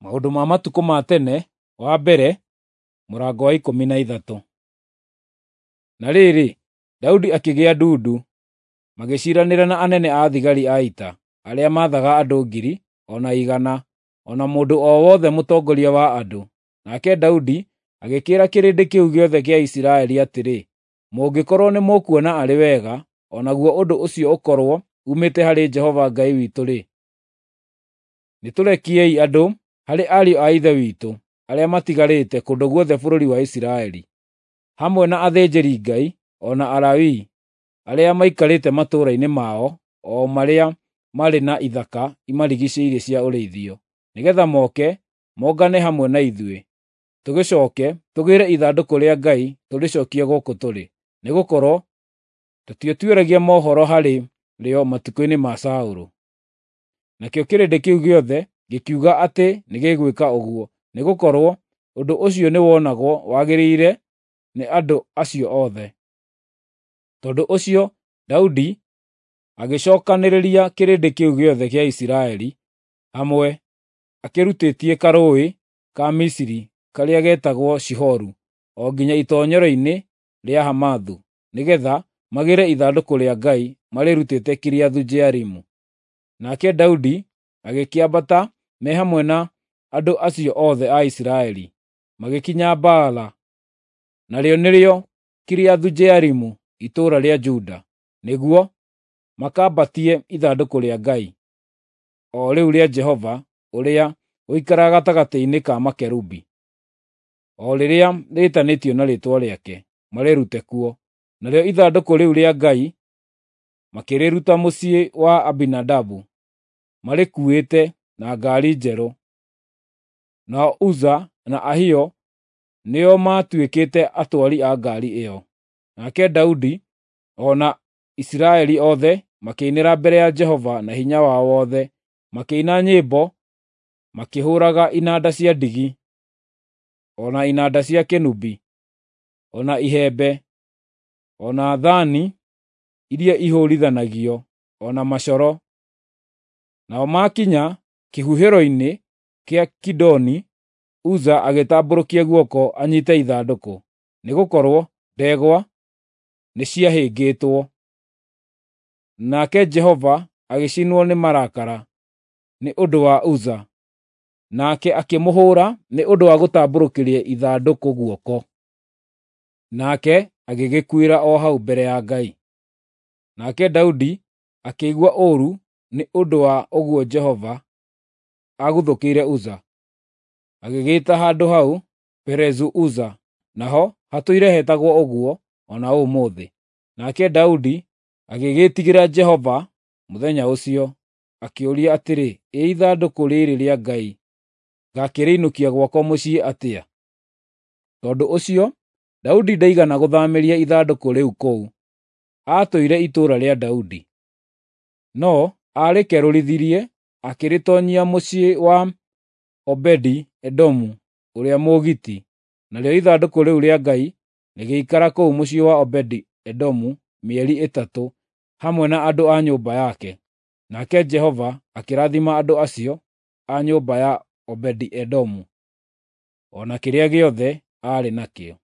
Maũndũ ma Matukũ ma Tene wa mbere, mũrango wa 13. Na rĩrĩ, Daudi akĩgĩa ndundu, magĩciiranĩra na anene a thigari a ita, arĩa maathaga andũ ngiri, o na igana, o na mũndũ o wothe mũtongoria wa andũ. Nake Daudi agĩkĩĩra kĩrĩndĩ kĩu gĩothe kĩa Isiraeli atĩrĩ, “Mũngĩkorwo nĩmũkuona arĩ wega, o naguo ũndũ ũcio ũkorwo uumĩte harĩ Jehova Ngai witũ-rĩ, nĩtũrekiei andũ harĩ ariũ a ithe witũ arĩa matigarĩte kũndũ guothe bũrũri wa Isiraeli, hamwe na athĩnjĩri-Ngai o na Alawii arĩa maikarĩte matũũra-inĩ mao o marĩa marĩ na ithaka imarigiicĩirie cia ũrĩithio, nĩgeetha moke mongane hamwe na ithuĩ, tũgĩcooke tũgĩĩre ithandũkũ rĩa Ngai tũrĩcookie gũkũ tũrĩ, nĩgũkorwo tũtiatuĩragia mohoro harĩ rĩo matukũ-inĩ ma Saũlũ.” Nakĩo kĩrĩndĩ kĩu gĩothe gĩkiuga atĩ nĩgĩgwĩka ũguo, nĩgũkorwo ũndũ ũcio nĩwonagwo wagĩrĩire nĩ andũ acio othe. Tondũ ũcio Daudi agĩcookanĩrĩria kĩrĩndĩ kĩu gĩothe kĩa Isiraeli hamwe, akĩrutĩtie karũũĩ ka Misiri karĩa getagwo Shihoru o nginya itoonyero-inĩ rĩa Hamathu, nĩgeetha magĩĩre ithandũkũ rĩa Ngai marĩrutĩte Kiriathu-Jearimu. Nake Daudi agĩkĩambata me hamwe na andũ acio othe a Isiraeli, magĩkinya Baala, narĩo nĩrĩo Kiriathu-Jearimu, itũũra rĩa Juda, nĩguo makambatie ithandũkũ rĩa Ngai, o rĩu rĩa Jehova ũrĩa ũikaraga gatagatĩ-inĩ ka makerubi, o rĩrĩa rĩĩtanĩtio na Rĩĩtwa rĩake, marĩrute kuo. Narĩo ithandũkũ rĩu rĩa Ngai makĩrĩruta mũciĩ wa Abinadabu, marĩkuuĩte na ngaari njerũ. Nao Uza na Ahio nĩo maatuĩkĩte atwari a ngaari ĩyo. Nake Daudi o na Isiraeli othe makĩinĩra mbere ya Jehova na hinya wao wothe, makĩina nyĩmbo makĩhũũraga inanda cia ndigi, o na inanda cia kĩnũbi, o na ihembe, o na thaani iria ihũũrithanagio, o na macoro. Nao maakinya kĩhuhĩro-inĩ kĩa Kidoni, Uza agĩtambũrũkia guoko anyiite ithandũkũ, nĩgũkorwo ndegwa nĩciahĩngĩtwo. Nake Jehova agĩcinwo nĩ marakara nĩ ũndũ wa Uza, nake akĩmũhũũra nĩ ũndũ wa gũtambũrũkĩria ithandũkũ guoko. Nake agĩgĩkuĩra o hau mbere ya Ngai. Nake Daudi akĩigua ũũru nĩ ũndũ wa ũguo Jehova aguthũkĩire Uza, agĩgĩĩta handũ hau Perezu-Uza, naho hatũire hetagwo ũguo o na ũmũthĩ. Nake Daudi agĩgĩĩtigĩra Jehova mũthenya ũcio, akĩũria atĩrĩ, “Ĩ ithandũkũ rĩĩrĩ rĩa Ngai ngaakĩrĩinũkia gwakwa mũciĩ atĩa?” Tondũ ũcio Daudi ndaigana gũthaamĩria ithandũkũ rĩu kũu, aatũire itũũra rĩa Daudi. No aarĩkerũrithirie akĩrĩtoonyia mũciĩ wa Obedi-Edomu ũrĩa Mũgiti, narĩo ithandũkũ rĩu rĩa Ngai rĩgĩikara kũu mũciĩ wa Obedi-Edomu mĩeri 3 hamwe na andũ a nyũmba yake. Nake Jehova akĩrathima andũ acio a nyũmba ya Obedi-Edomu, o na kĩrĩa gĩothe aarĩ nakĩo.